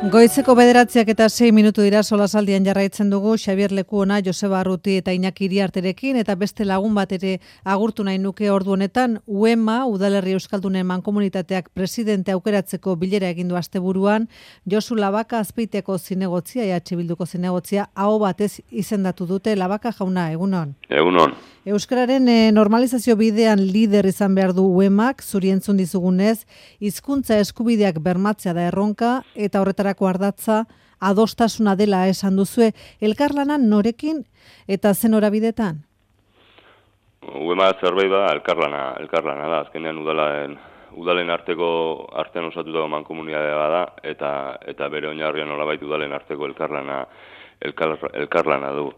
Goizeko 9:06 dira solasaldian jarraitzen dugu Xabier Lekuona, Joseba Arruti eta Iñaki Iriarterekin eta beste lagun bat ere agurtu nahi nuke ordu honetan UEMA, Udalerri Euskaldunen Mankomunitateak presidente aukeratzeko bilera egin du asteburuan, Josu Labaka Azpeiteko zinegotzia, EH Bilduko zinegotzia, aho batez izendatu dute. Labaka jauna, egunon. Egunon. Euskararen normalizazio bidean lider izan behar du UEMak, zuri entzun dizugunez, hizkuntza eskubideak bermatzea da erronka eta horretarako ardatza adostasuna dela esan duzue. Elkarlanan norekin eta zen horabidetan? UEMA zerbait da elkarlana da. Azkenean udalen artean osatutako mankomunitatea da eta bere oinarrian nolabait udalen arteko elkarlana du.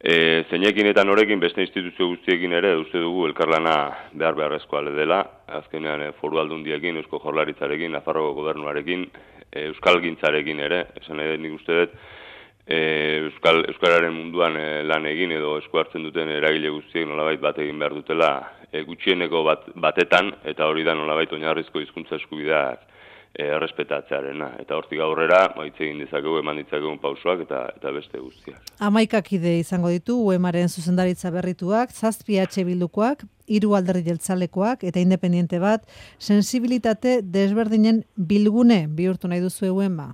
Zeinekin eta norekin beste instituzio guztiekin ere uste dugu elkarlana beharrezkoa dela. Azkenean foru aldundiekin, Eusko Jaurlaritzarekin, Nafarroko gobernuarekin, euskalgintzarekin ere, esan ere nik uste dut euskararen munduan lan egin edo esku hartzen duten eragile guztiek nolabait bat egin behar dutela gutxieneko batetan, eta hori da nolabait oinarrizko hizkuntza eskubideak errespetatzearena. Eta hortik aurrera, hitz egin dezakegu, eman ditzakegun pausoak eta beste guztiak. 11 kide izango ditu UEMaren zuzendaritza berrituak, 7 EH Bildukoak, 3 alderdi jeltzalekoak eta independente bat, sensibilitate desberdinen bilgune bihurtu nahi duzu UEMa.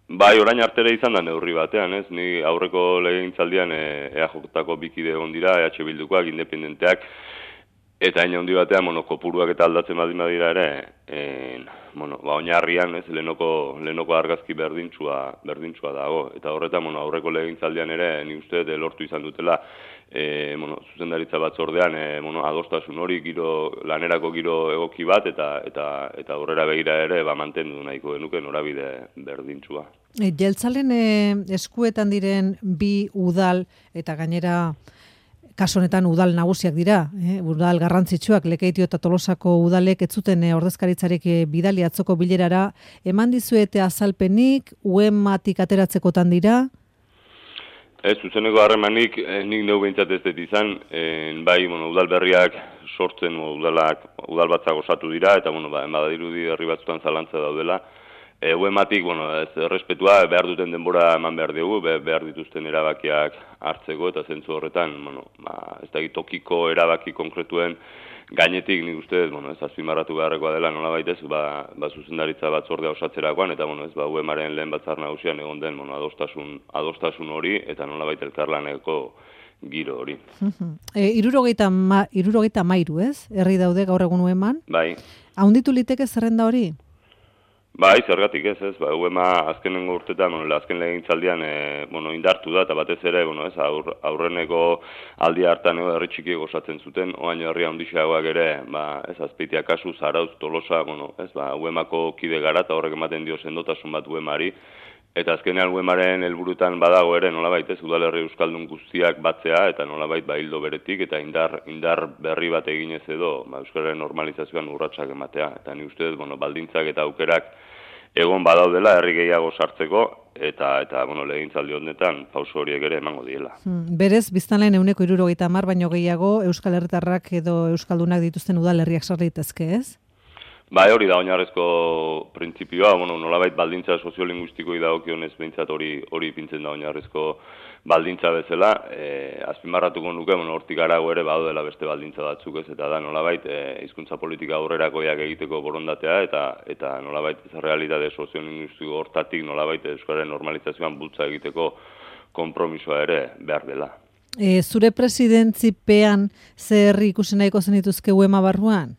Bai, orain artere izan da neurri batean, ez? Ni aurreko legegintzaldian EAJ-tako bikide egon dira, EH Bildukoak, independenteak, eta hain handi batean, kopuruak eta aldatzen badira ere, oinarrian, ez, lehenoko argazki berdintsua dago. Eta horretan, aurreko legegintzaldian ere, ni uste lortu izan dutela, zuzendaritza batzordean, adostasun hori, lanerako giro egoki bat, eta aurrera begira ere, mantendu nahiko genuke norabide berdintsua. Jeltzalen eskuetan diren bi udal, eta gainera, kasu honetan udal nagusiak dira, udal garrantzitsuak, Lekeitio eta Tolosako udalek ez zuten ordezkaritzarik bidali atzoko bilerara, eman dizuete azalpenik, UEMatik ateratzekotan dira? Ez, zuzeneko harremanik nik neu behintzat ez dut izan, bai, udal berriak sortzen, udal batzak osatu dira, eta, badadirudi herri batzutan zalantza daudela. UEMatik, ez errespetua, behar duten denbora eman behar dugu, behar dituzten erabakiak hartzeko, eta zentzu horretan, ez da tokiko erabaki konkretuen gainetik, nik uste, ez azpimarratu beharrekoa dela, nolabait ez, zuzendaritza batzordea osatzerakoan, eta, UEMaren lehen batzar nagusian egon den, adostasun hori, eta nolabait elkarlaneko giro hori. 73, ez? Herri daude gaur egun UEMan? Bai. Haunditu liteke zerrenda hori? Bai, zergatik ez, UEMA azkenengo urtetan, azken legegintzaldian indartu da, eta batez ere, aurreneko aldi hartan herri txikiek osatzen zuten, oain herria handixeagoak ere, ez Azpeitia kasu, Zarautz, Tolosa, UEMako kide gara, eta horrek ematen dio sendotasun bat UEMari, eta azkenean UEMaren helburutan badago ere, nolabait ez, udalerri euskaldun guztiak batzea, eta nolabait hildo beretik, eta indar berri bat eginez edo, euskararen normalizazioan urratsak ematea, eta ni uste, baldintzak eta aukerak egon badaudela herri gehiago sartzeko, eta legegintzaldi honetan pauso horiek ere emango diela. Berez, biztanleen 70 baino gehiago euskal herritarrak edo euskaldunak dituzten udalerriak sar daitezke, ez? Bai, hori da oinarrizko printzipioa, nolabait baldintza soziolinguistikoei dagokionez behintzat hori ipintzen da oinarrizko baldintza bezala, azpimarratuko nuke, hortik arago ere badaudela beste baldintza batzuk ez, eta da nolabait hizkuntza politika aurrerakoiak egiteko borondatea, eta nolabait realitate soziolinguistiko hortatik nolabait euskararen normalizazioan bultza egiteko konpromisoa ere behar dela. Zure presidentzipean zer ikusi nahiko zenituzke UEMA barruan?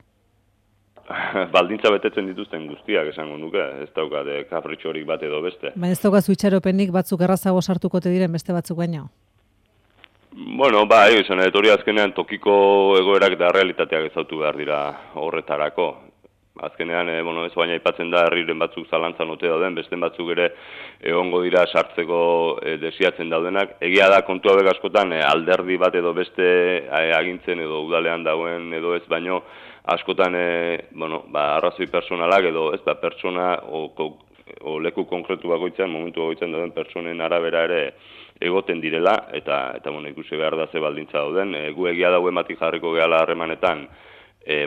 Baldintza betetzen dituzten guztiak esango nuke, ez daukate kapritxorik bat edo beste. Baina ez daukazu itxaropenik batzuk errazago sartuko te diren beste batzuk baino? Bai, izan hori azkenean tokiko egoerak eta realitateak ezautu behar dira horretarako. Azkenean, ez baina aipatzen da herriren batzuk zalantzan ote dauden, beste batzuk ere egongo dira sartzeko desiatzen daudenak. Egia da kontua hauek askotan alderdi bat edo beste agintzen edo udalean dagoen edo ez baino, askotan arrazoi personalak edo ez pertsona o leku konkretu bakoitzan, momentu bakoitzan dauden pertsonen arabera ere egoten direla, eta ikusi behar da ze baldintza dauden. Gu egia da UEMatik jarriko gehala harremanetan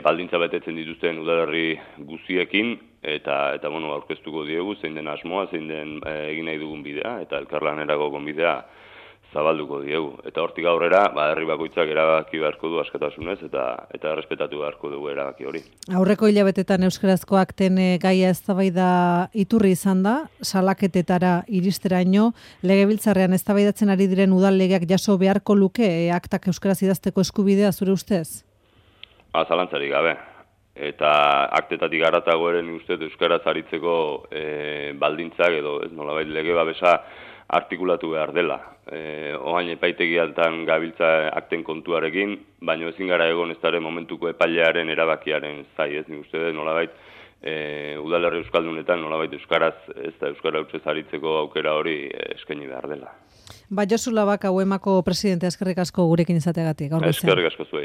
baldintza betetzen dituzten udalerri guztiekin, eta bueno, aurkeztuko diegu, zein den asmoa, zein den egin nahi dugun bidea, eta elkarlanerako gonbidea zabalduko diegu. Eta hortik aurrera, herri bakoitzak erabaki beharko du askatasunez, eta errespetatu beharko dugu erabaki hori. Aurreko hilabetetan euskarazko akten gaia eztabaida iturri izan da, salaketetara iristeraino, legebiltzarrean eztabaidatzen ari diren udal legeak jaso beharko luke aktak euskaraz idazteko eskubidea zure ustez? Zalantzarik gabe. Eta aktetatik haratago ere nik uste euskaraz aritzeko baldintzak edo ez nolabait lege babesa artikulatu behar dela. Oain epaitegiatan gabiltza akten kontuarekin, baina ezin gara egon ez daren momentuko epailearen erabakiaren zai, ez nik uste nolabait udalerri euskaldunetan nolabait euskaraz ez da euskara hutsez aritzeko aukera hori eskaini behar dela. Josu Labaka UEMako presidente, eskerrik asko gurekin izateagatik. Eskerrik asko zuei.